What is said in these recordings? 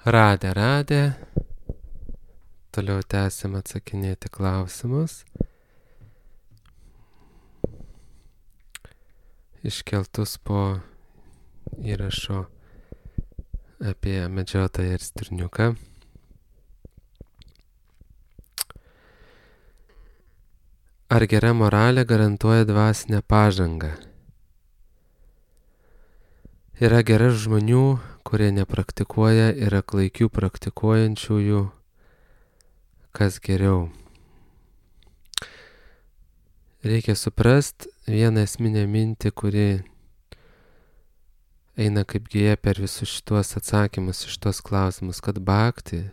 Radę. Toliau tęsim atsakinėti klausimus. Iškeltus po įrašo apie medžiotoją ir stirniuką. Ar gera moralė garantuoja dvasinę pažangą? Yra gera žmonių, kurie nepraktikuoja, yra klaikių praktikuojančiųjų. Kas geriau? Reikia suprast vieną esminę mintį, kuri eina kaip gija per visus šitos atsakymus, šitos klausimus, kad bhakti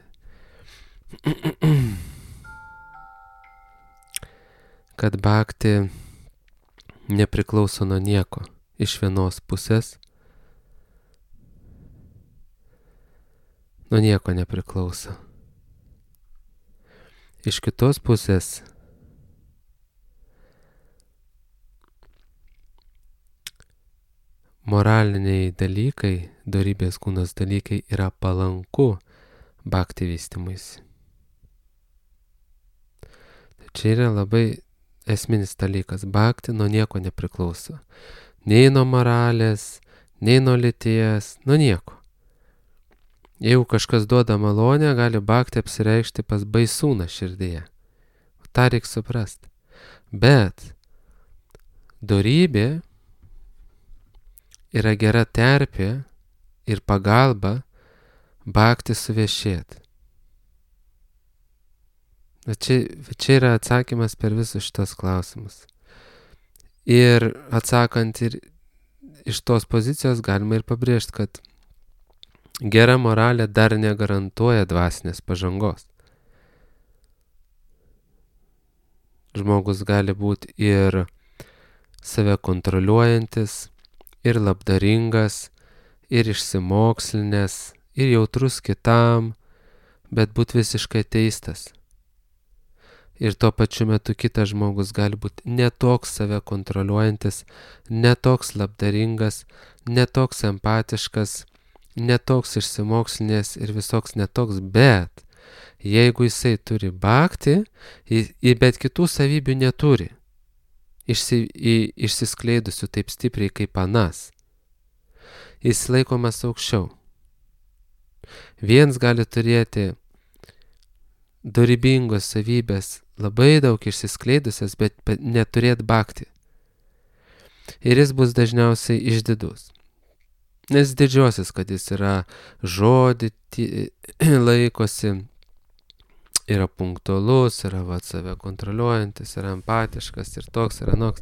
nepriklauso nuo nieko. Iš vienos pusės nuo nieko nepriklauso. Iš kitos pusės moraliniai dalykai, dorybės kūnos dalykai yra palanku bhakti vystymuisi. Tai čia yra labai esminis dalykas. Bhakti nuo nieko nepriklauso. Nei nuo moralės, nei nuo lyties, nuo nieko. Jeigu kažkas duoda malonę, gali bhakti apsireikšti pas baisūną širdyje. Ta reikia suprast. Bet dorybė yra gera terpė ir pagalba bhakti suviešėti. Čia yra atsakymas per visus šitos klausimus. Ir atsakant ir iš tos pozicijos galima ir pabrėžti, kad gera moralė dar negarantuoja dvasinės pažangos. Žmogus gali būti ir save kontroliuojantis, ir labdaringas, ir išsimokslinęs, ir jautrus kitam, bet būti visiškai ateistas. Ir tuo pačiu metu kitas žmogus gali būti netoks save kontroliuojantis, netoks labdaringas, netoks empatiškas, netoks išsimokslinęs ir visoks netoks, bet jeigu jisai turi bhakti, bet kitų savybių neturi, išsiskleidusių taip stipriai kaip anas, jis laikomas aukščiau. Viens gali turėti dorybingos savybės, labai daug išsiskleidusias, bet neturėti bhakti. Ir jis bus dažniausiai išdidus. Nes didžiuosis, kad jis yra žodį laikosi, yra punktualus, yra save kontroliuojantis, yra empatiškas ir toks, ir anoks.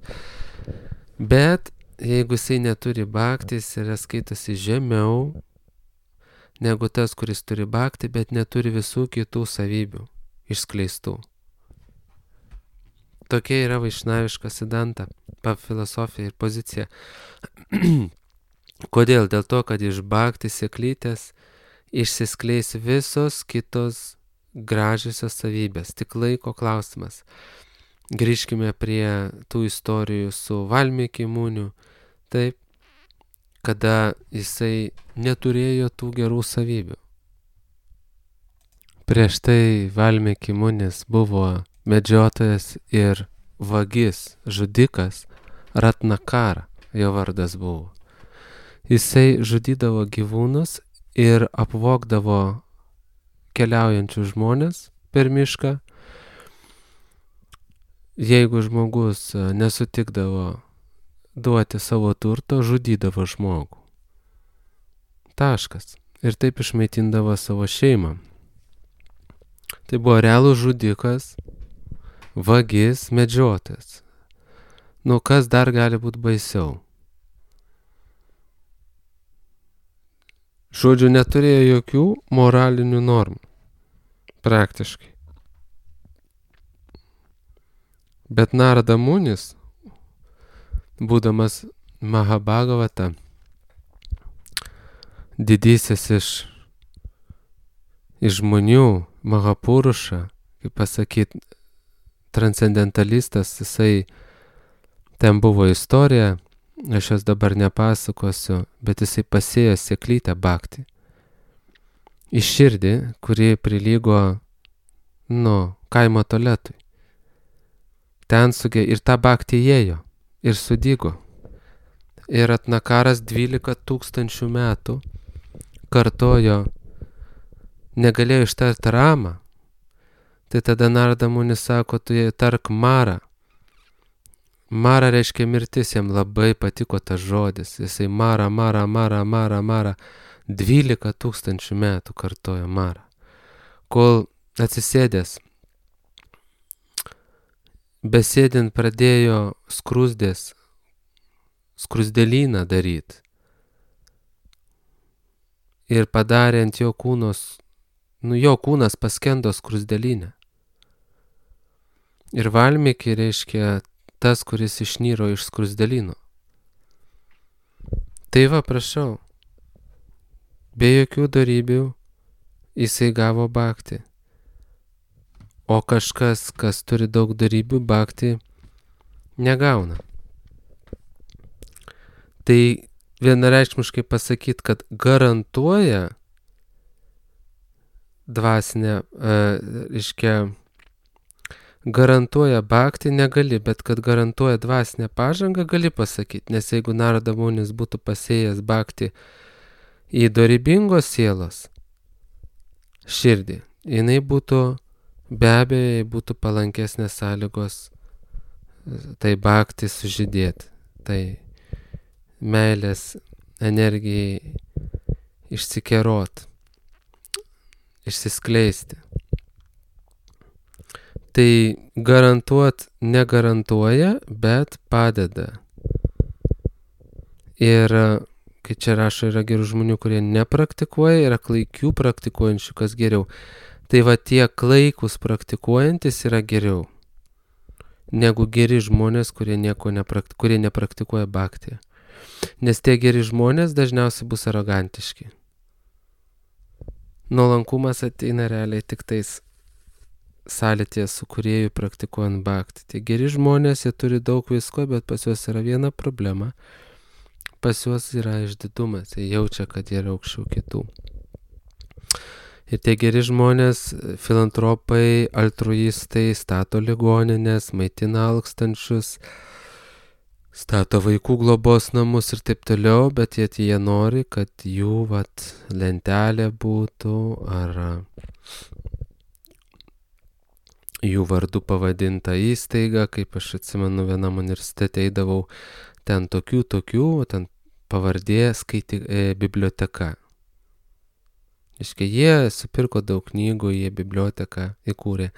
Bet jeigu jisai neturi bhakti, jis yra skaitosi žemiau negu tas, kuris turi bhakti, bet neturi visų kitų savybių išskleistų. Tokia yra vaišnaviška siddhanta, filosofija ir pozicija. Kodėl? Dėl to, kad iš bhakti sėklytės išsiskleis visos kitos gražiosios savybės. Tik laiko klausimas. Grįžkime prie tų istorijų su Valmiki Muniu. Taip, kada jisai neturėjo tų gerų savybių. Prieš tai Valmiki Munis buvo medžiotojas ir vagis, žudikas, Ratnakara, jo vardas buvo. Jisai žudydavo gyvūnus ir apvogdavo keliaujančius žmonės per mišką. Jeigu žmogus nesutikdavo duoti savo turto, žudydavo žmogų. Taškas. Ir taip išmaitindavo savo šeimą. Tai buvo realus žudikas, vagis, medžiotojas. Nu, kas dar gali būti baisiau? Žodžiu, neturėjo jokių moralinių normų. Praktiškai. Bet Narada Munis, būdamas Mahabhagavata, didysis iš žmonių, Mahapuruša, kaip pasakyt, transcendentalistas, jisai, ten buvo istorija, aš jos dabar nepasakosiu, bet jisai pasėjo sėklytę bhakti. į širdį, kuri prilygo, kaimo tualetui. Ten ir ta bhakti įėjo ir sudygo. Ir Ratnakaras 12 000 metų kartojo, negalėjo ištarti Ramą. Tai tada Narada Munis sako, tu tark Mara. Mara reiškia mirtis, jam labai patiko tas žodis. Jisai Mara. 12 000 metų kartojo Mara. Kol atsisėdęs, besėdint pradėjo skruzdėlyną daryti. Ir padarė ant jo kūnos, jo kūnas paskendo skruzdėlynę. Ir Valmiki reiškia tas, kuris išnyro iš skruzdėlyno. Tai va, prašau, be jokių dorybių jisai gavo bhakti. O kažkas, kas turi daug dorybių, bhakti negauna. Tai vienareikšmiškai pasakyti, kad garantuoja dvasinę, garantuoja bhakti negali, bet kad garantuoja dvasinę pažangą gali pasakyti, nes jeigu Narada Munis būtų pasėjęs bhakti į dorybingos sielos širdį, jinai būtų, be abejo, būtų palankesnės sąlygos tai bhakti sužydėti, tai meilės energijai išsikerot, išsiskleisti. Tai garantuot negarantuoja, bet padeda. Ir kai čia rašo, yra gerų žmonių, kurie nepraktikuoja, yra klaikių praktikuojančių, kas geriau. Tai va tie klaikus praktikuojantis yra geriau negu geri žmonės, kurie nepraktikuoja bhakti. Nes tie geri žmonės dažniausiai bus arogantiški. Nuolankumas ateina realiai tik tais sąlytyje su kūrėju praktikuojant bhakti. Tie geri žmonės, jie turi daug visko, bet pas juos yra viena problema. Pas juos yra išdidumas, jie jaučia, kad jie yra aukščiau kitų. Ir tie geri žmonės, filantropai, altruistai, stato ligoninės, maitina alkstančius, stato vaikų globos namus ir taip toliau, bet jie nori, kad jų lentelė būtų ar jų vardu pavadinta įstaiga, kaip aš atsimenu, vienam universitete eidavau, ten tokių, ten pavardė biblioteka. Iškai jie supirko daug knygų, jie biblioteką įkūrė,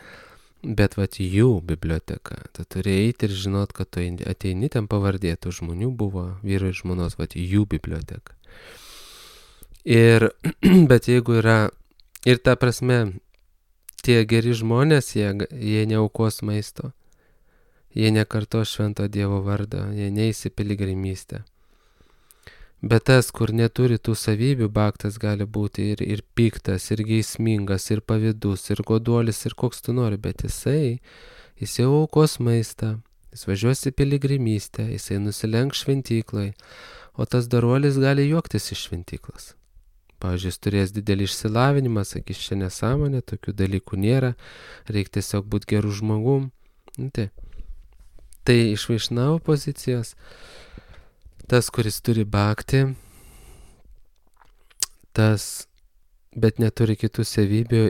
bet jų biblioteka. Tu turi eiti ir žinot, kad tu ateini, ten pavardė, tų žmonių buvo, vyro ir žmonos, jų biblioteka. Bet jeigu yra, ir ta prasme, tie geri žmonės, jie neaukos maisto, jie nekarto švento Dievo vardą, jie neis į piligrimystę. Bet tas, kur neturi tų savybių, bhaktas gali būti ir piktas, ir geismingas, ir pavydus, ir goduolis, ir koks tu nori, bet jis jau aukos maistą, jis važiuos į piligrimystę, jisai nusilenks šventyklai, o tas daruolis gali juoktis iš šventyklos. Pavyzdžiui, jis turės didelį išsilavinimą, sakys, čia nesąmonė, tokių dalykų nėra, reikia tiesiog būti gerų žmogum. Tai iš Vaišnavo pozicijos, tas, kuris turi bhakti, bet neturi kitų savybių,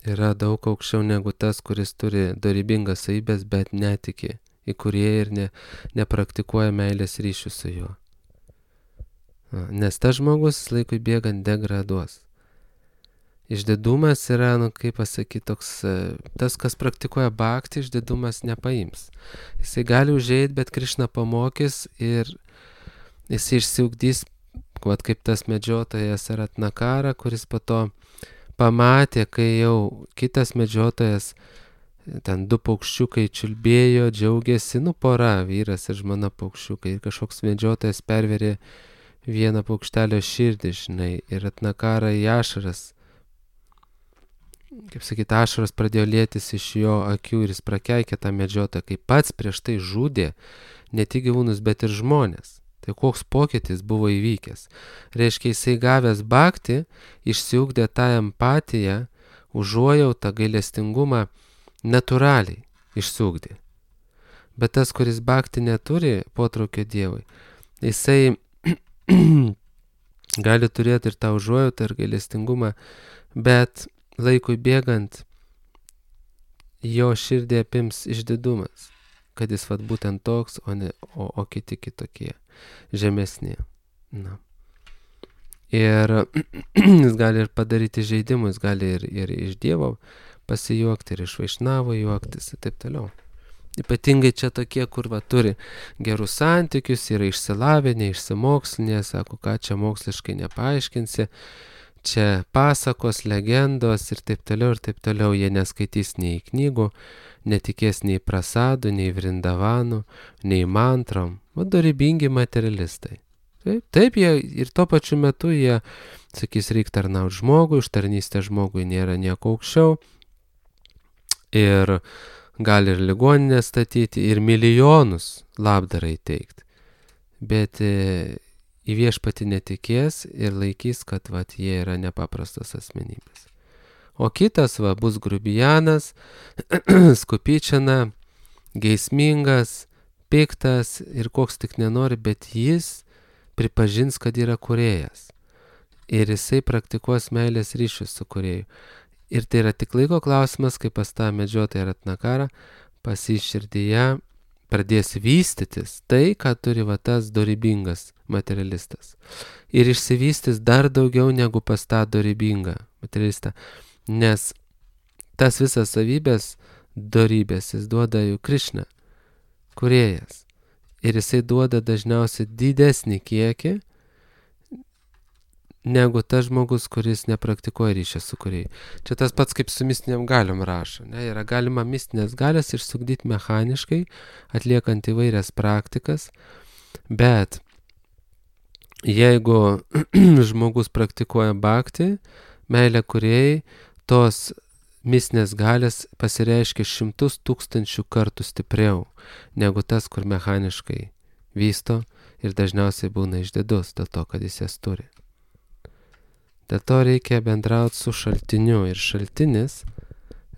yra daug aukščiau negu tas, kuris turi dorybingas savybės, bet netiki į Kūrėją ir nepraktikuoja meilės ryšių su juo. Nes tas žmogus laikui bėgant degraduos. Išdidumas yra, kaip pasakyti, toks, tas, kas praktikuoja bhakti, išdidumas nepaims. Jisai gali užeiti, bet Krišna pamokys ir jisai išsiugdys, kaip tas medžiotojas Ratnakara, kuris po to pamatė, kai jau kitas medžiotojas, ten 2 paukščiukai čiulbėjo, džiaugiasi, pora, vyras ir žmona paukščiukai, ir kažkoks medžiotojas perverė vieną paukštelio širdį, ir Ratnakara į ašaras, kaip sakyti, ašaros pradėjo lietis iš jo akių ir jis prakeikė tą medžiotoją, kai pats prieš tai žudė ne tik gyvūnus, bet ir žmonės. Tai koks pokytis buvo įvykęs. Reiškia, jisai gavęs bhakti, išsiugdė tą empatiją, užuojautą, gailestingumą natūraliai išsiugdė. Bet tas, kuris bhakti neturi potraukio Dievui, jisai gali turėti ir tą užuojautą ir gailestingumą, bet laikui bėgant jo širdį apims išdidumas, kad jis vat būtent toks, o kiti kitokie, žemesni. Na. Ir jis gali ir padaryti žaidimus, gali ir iš Dievo pasijuokti, ir iš Vaišnavo juoktis ir taip toliau. Ypatingai čia tokie, kur turi gerus santykius, yra išsilavinę, išsimokslinę, sako, ką čia moksliškai nepaaiškinsi, čia pasakos, legendos ir taip toliau, jie neskaitys nei knygų, netikės nei prasadų, nei vrindavanų, nei mantrom, dorybingi materialistai. Taip, jie ir tuo pačiu metu jie sakys, reikia tarnauti žmogui, už tarnystę žmogui nėra nieko aukščiau ir gali ir ligoninę statyti, ir milijonus labdarai teikti. Bet į viešpatį netikės ir laikys, kad jie yra nepaprastas asmenybės. O kitas bus grubijanas, skupyčiana, geismingas, piktas ir koks tik nenori, bet jis pripažins, kad yra kūrėjas. Ir jisai praktikuos meilės ryšius su kūrėju. Ir tai yra tik laiko klausimas, kai pas tą medžiotoją Ratnakarą pas jį širdyje pradės vystytis tai, ką turi tas dorybingas materialistas. Ir išsivystys dar daugiau negu pas tą dorybingą materialistą. Nes tas visas savybės dorybės jis duoda jau Krišna, kūrėjas. Ir jisai duoda dažniausiai didesnį kiekį negu tas žmogus, kuris nepraktikuoja ryšio su kūrėju. Čia tas pats kaip su mistiniam galiom rašo. Yra galima mistinės galias išsugdyti mechaniškai, atliekant įvairias praktikas, bet jeigu žmogus praktikuoja bhakti, meilę kūrėjai, tos mistinės galias pasireiškia 100 000 kartų stipriau negu tas, kur mechaniškai vysto ir dažniausiai būna išdidus dėl to, kad jis jas turi. Dėl to reikia bendrauti su šaltiniu ir šaltinis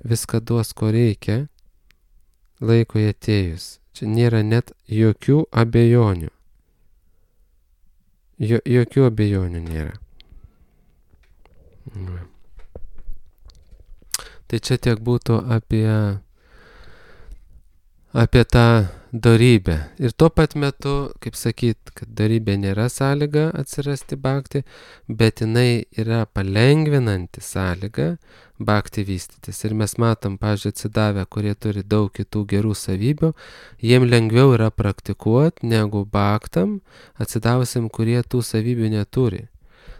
viską duos, ko reikia, laikui atėjus. Čia nėra net jokių abejonių. Jokių abejonių nėra. Tai čia tiek būtų apie tą dorybę. Ir tuo pat metu, kaip sakyt, kad dorybė nėra sąlyga atsirasti bhakti, bet jinai yra palengvinanti sąlyga bhakti vystytis. Ir mes matom, pavyzdžiui, atsidavę, kurie turi daug kitų gerų savybių, jiem lengviau yra praktikuoti negu bhaktam atsidavusiam, kurie tų savybių neturi.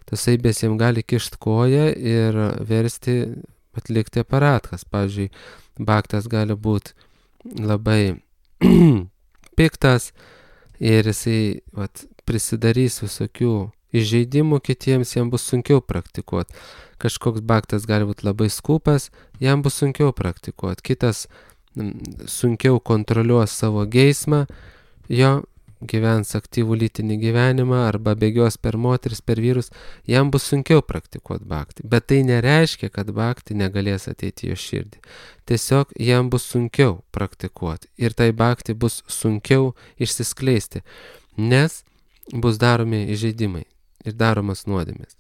Tas savybės jiem gali kišti koją ir versti atlikti aparatkas. Pavyzdžiui, bhaktas gali būti labai piktas ir jisai prisidarys visokių įžeidimų kitiems, jam bus sunkiau praktikuoti. Kažkoks bhaktas gali būti labai skūpas, jam bus sunkiau praktikuoti. Kitas sunkiau kontroliuos savo geismą, jo gyvens aktyvų lytinį gyvenimą arba bėgios per moteris, per vyrus, jam bus sunkiau praktikuoti bhakti. Bet tai nereiškia, kad bhakti negalės ateiti jo širdį. Tiesiog jam bus sunkiau praktikuoti ir tai bhakti bus sunkiau išsiskleisti, nes bus daromi įžeidimai ir daromas nuodėmės.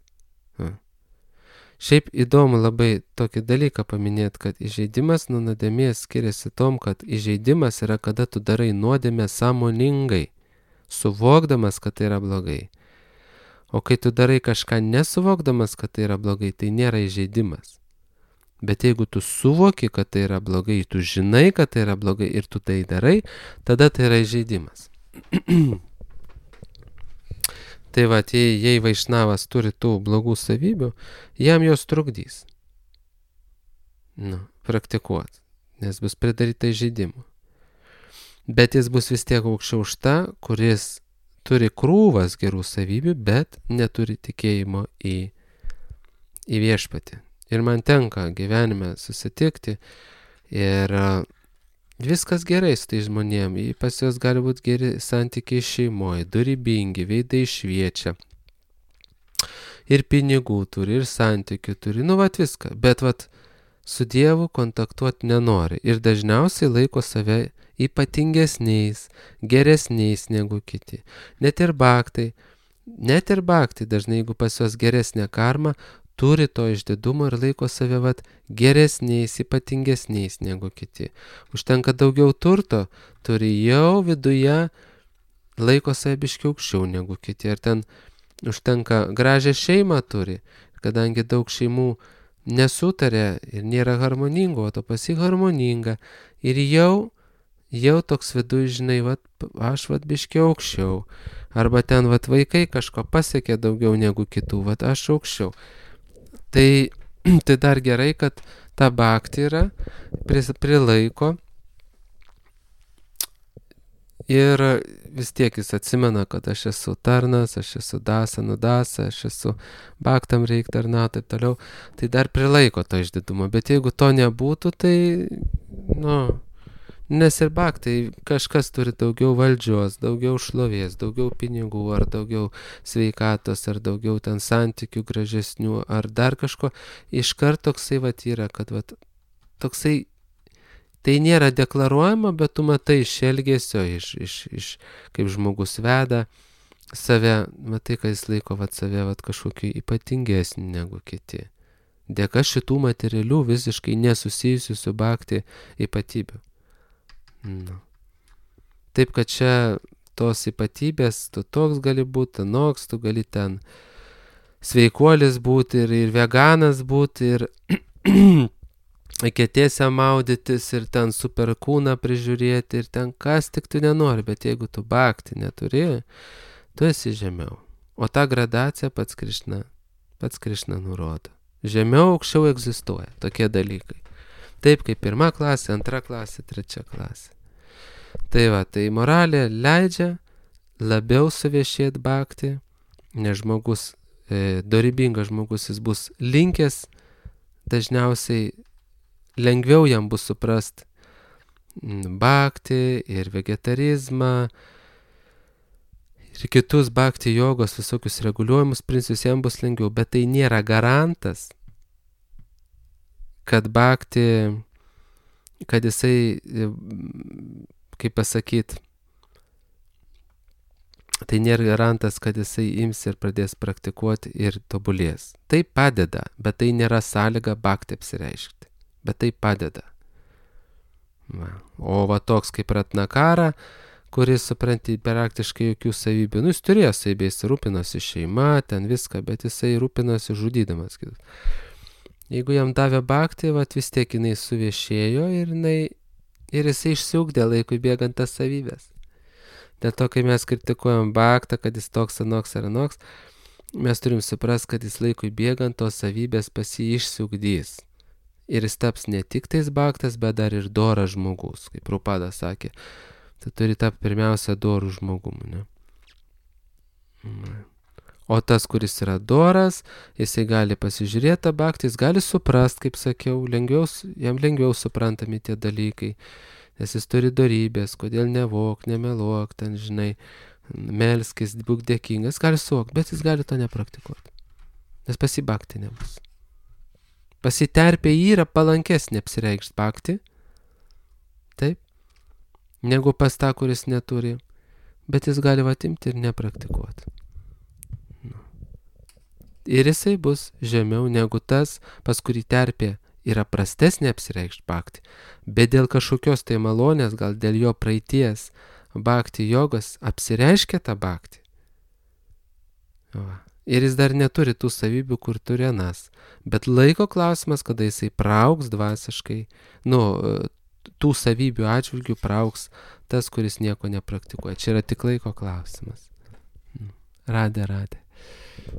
Šiaip įdomu labai tokį dalyką paminėti, kad įžeidimas nuo nuodėmės skiriasi tom, kad įžeidimas yra, kada tu darai nuodėmę sąmoningai, suvokdamas, kad tai yra blogai. O kai tu darai kažką nesuvokdamas, kad tai yra blogai, tai nėra įžeidimas. Bet jeigu tu suvoki, kad tai yra blogai, tu žinai, kad tai yra blogai ir tu tai darai, tada tai yra įžeidimas. Tai jei Vaišnavas turi tų blogų savybių, jam jos trukdys praktikuoti, nes bus pridaryta įžeidimų. Bet jis bus vis tiek aukščiau už tą, kuris turi krūvas gerų savybių, bet neturi tikėjimo į viešpatį. Ir man tenka gyvenime susitikti ir Viskas gerai su tai žmonėm, pas juos gali būti geri santykiai šeimoje, dorybingi, veidai šviečia. Ir pinigų turi, ir santykių turi, viską. Bet su Dievu kontaktuoti nenori ir dažniausiai laiko save ypatingesniais, geresniais negu kiti. Net ir baktai dažnai, jeigu pas juos geresnė karma, turi to išdidumo ir laiko save geresniais, ypatingesniais negu kiti. Užtenka daugiau turto, turi jau viduje, laiko save biškiau aukščiau negu kiti. Ir ten užtenka gražią šeimą turi, kadangi daug šeimų nesutarė ir nėra harmoningo, o to harmoninga. Ir jau toks viduj, žinai, aš biškiau aukščiau. Arba ten vaikai kažko pasiekė daugiau negu kitų, aš aukščiau. Tai dar gerai, kad ta bhakti yra, prilaiko ir vis tiek jis atsimena, kad aš esu tarnas, aš esu dasa, nudasa, aš esu bhaktam reik tarnauti, taip toliau. Tai dar prilaiko to išdidumo, bet jeigu to nebūtų, tai, nes ir bhaktai kažkas turi daugiau valdžios, daugiau šlovės, daugiau pinigų, ar daugiau sveikatos, ar daugiau ten santykių gražesnių, ar dar kažko. Iškart toksai yra, kad toksai, tai nėra deklaruojama, bet tu matai iš elgesio, iš kaip žmogus veda save, matai, kad jis laiko save kažkokiu ypatingesnį negu kiti. Dėka šitų materialių visiškai nesusijusių su bhakti ypatybių. Taip, kad čia tos ypatybės, tu toks gali būti, anoks, tu gali ten sveikuolis būti ir veganas būti, ir eketėse maudytis, ir ten super kūną prižiūrėti, ir ten kas tik tu nenori, bet jeigu tu bhakti neturi, tu esi žemiau. O ta gradacija pats Krišna nurodo. Žemiau, aukščiau egzistuoja tokie dalykai. Taip kaip 1 klasė, 2 klasė, 3 klasė. Tai moralė leidžia labiau suviešėti bhakti, nes žmogus, dorybingas žmogus, jis bus linkęs, dažniausiai lengviau jam bus suprast bhakti ir vegetarizmą ir kitus bhakti jogos visokius reguliuojamus principus, jam bus lengviau, bet tai nėra garantas, kad bhakti, kad jisai, kaip pasakyt, tai nėra garantas, kad jisai ims ir pradės praktikuoti ir tobulės. Tai padeda, bet tai nėra sąlyga bhakti apsireiškti. Bet tai padeda. O toks kaip Ratnakara, kuris, supranti, praktiškai jokių savybių. Jis turėjo savybių, jis rūpinosi šeima, ten viską, bet jisai rūpinosi žudydamas kitus. Jeigu jam davė bhakti, vis tiek jinai suviešėjo ir jisai išsiugdė laikui bėgant tas savybės. Dėl to, kai mes kritikuojam bhaktą, kad jis toks, anoks ar anoks, mes turim suprasti, kad jis laikui bėgant tos savybės pas jį išsiugdys. Ir jis taps ne tik tais bhaktas, bet dar ir doras žmogus, kaip Prabhupada sakė. Tai turi tapti pirmiausia dorų žmogumu, ne? O tas, kuris yra doras, jisai gali pasižiūrėti tą bhaktį, jis gali suprast, kaip sakiau, jam lengviau suprantami tie dalykai, nes jis turi dorybės, kodėl nevok, nemeluok, ten, žinai, melskis, būk dėkingas, gali suvokti, bet jis gali to nepraktikuoti, nes pas jį bhakti nebus. Pasiterpė yra palankesnė apsireikšti bhakti, taip, negu pas tą, kuris neturi, bet jis gali atimti ir nepraktikuoti. Ir jisai bus žemiau negu tas, pas kurį terpė yra prastesnė apsireikšti bhakti, bet dėl kažkokios tai malonės, gal dėl jo praeities bhakti jogos apsireiškia tą bhakti. Ir jis dar neturi tų savybių, kur turi anas. Bet laiko klausimas, kada jisai praaugs dvasiškai, tų savybių atžvilgių praaugs tas, kuris nieko nepraktikuoja. Čia yra tik laiko klausimas. Radė.